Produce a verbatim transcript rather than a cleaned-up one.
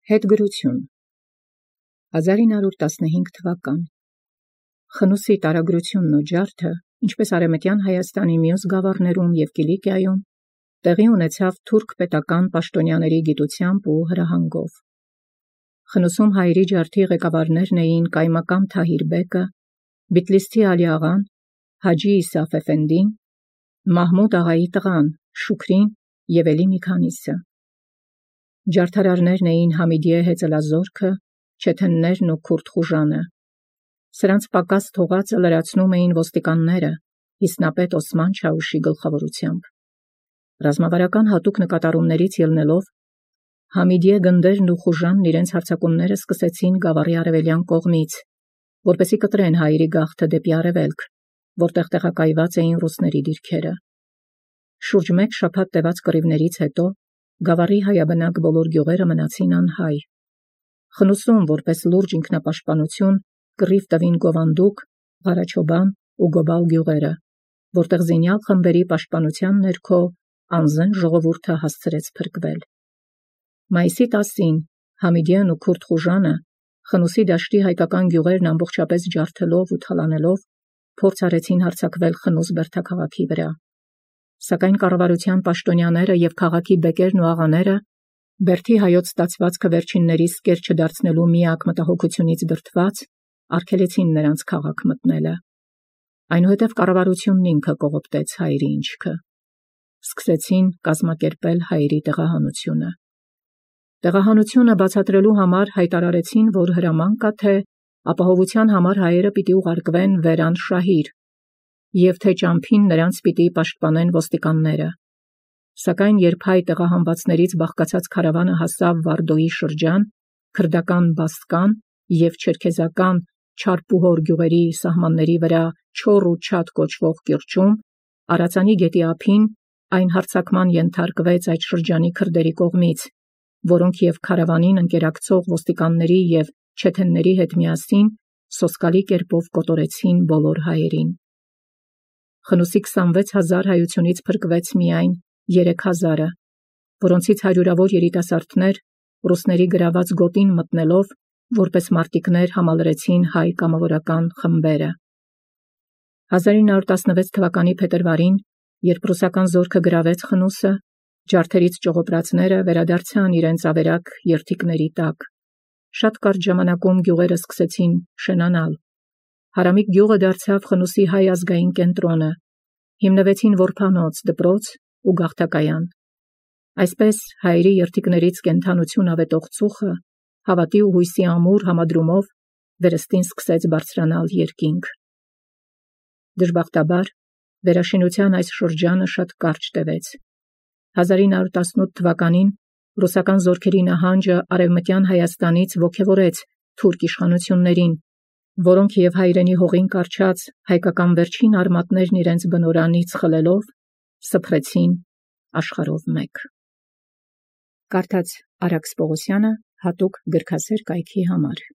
Հետգրություն հազար ինը հարյուր տասնհինգ թվական Խնուսի տարագրությունն ու ջարդը, ինչպես արևմտյան Հայաստանի մյուս գավառներում և Կիլիկիայում, տեղի ունեցավ թուրք պետական պաշտոնյաների գիտությամբ ու հրահանգով։ Խնուսում հայերի ջարդի ղեկավարներն էին Կայմակամ Թահիր բեկը, Բիթլիսթի Ալի աղան, Հաջի Իսաֆ էֆենդին, Մահմուդ աղայի տղան, Շուքրին և էլի մի քանիսը։ Ջարդարարներն էին Համիդիե հեծելազորքը, Չեթեններն ու Քուրդ խուժանը։ Սրանց պակաս թողածը լրացնում էին ոստիկանները, Իսնապետ Օսման Չաուշի գլխավորությամբ։ Ռազմավարական հատուկ նկատառումներից ելնելով, Համիդիե գնդերն ու խուժանն իրենց հարձակումները սկսեցին գավառի արևելյան կողմից, որպեսզի կտրեն հայերի գաղթը դեպի արևելք, որտեղ տեղակայված էին ռուսների դիրքերը։ Շուրջ մեկ շաբաթ տևած կռիվներից հետո գավառի հայաբնակ բոլոր գյուղերը մնացին անհայ։ Խնուսում, որպես լուրջ ինքնապաշտպանություն, կռիվ տվին Գովանդուկ, Ղարաչոբան ու Գոբալ գյուղերը, որտեղ զինյալ խմբերի պաշտպանության ներքո անզեն ժողովուրդը հասցրեց փրկվել։ Մայիսի տասին Համիդիեն ու Քուրդ խուժանը, Խնուսի դաշտի հայկական գյուղերն ամբողջապես ջարդելով ու թալանելով, փորձ արեցին հարձակվել Խնուս բերդաքաղաքի վրա։ Սակայն կառավարության պաշտոնյաները և քաղաքի բեկերն ու աղաները, բերդի հայոց ստացվածքը վերջիններիս կեր չդարձնելու միակ մտահոգությունից դրդված, արգելեցին նրանց քաղաք մտնելը։ Այնուհետև կառավարությունն ինքը կողոպտեց հայերի ինչքը։ Սկսեցին կազմակերպել հայերի տեղահանությունը։ Տեղահանությունը բացատրելու համար հայտարարեցին, որ հրաման կա, թե ապահովության համար հայերը պիտի ուղարկվեն Վերան Շահիր, և թե ճամփին նրանց պիտի պաշտպանեն ոստիկանները։ Սակայն երբ հայ տեղահանվածներից բաղկացած քարավանը հասավ Վարդոյի շրջան, քրդական Բաստկան և չերքեզական Չարպուհոր գյուղերի սահմանների վրա Չոր ու Չադ կոչվող կիրճում, Արածանի գետի ափին, այն հարձակման ենթարկվեց այդ շրջանի քրդերի կողմից, որոնք և քարավանին ընկերակցող ոստիկանների և չեթենների հետ միասին սոսկալի կերպով կոտորեցին բոլոր հայերին։ Խնուսի քսանվեց հազար հայությունից փրկվեց միայն երեք հազարը, որոնցից հարյուրավոր երիտասարդներ ռուսների գրաված գոտին մտնելով, որպես մարտիկներ համալրեցին հայ կամավորական խմբերը։ հազար ինը հարյուր տասնվեց թվականի փետրվարին, երբ ռուսական զորքը գրավեց Խնուսը, ջարդերից ճողոպրածները վերադարձան իրենց ավերակ երթիկների տակ։ Շատ կարճ ժամանակում գյուղերը սկսեցին շենանալ։ Հարամիկ գյուղը դարձավ Խնուսի հայ ազգային կենտրոնը, հիմնվեցին որբանոց, դպրոց ու գաղթակայան։ Այսպես հայերի երթիկներից կենդանություն ավետող ծուխը, հավատի ու հույսի ամուր համադրումով վերստին սկսեց բարձրանալ երկինք։ Դժբախտաբար, վերաշինության այս շրջանը շատ կարճ տևեց։ հազար ինը հարյուր տասնութ թվականին ռուսական զորքերի նահանջը արևմտյան Հայաստանից ոգևորեց թուրք իշխանություններին, որոնք և հայրենի հողին կառչած հայկական վերջին արմատներն իրենց բնօրանից խլելով, սփռեցին աշխարհով մեկ։ Կարդաց Արաքս Պողոսյանը հատուկ գրքասեր կայքի համար։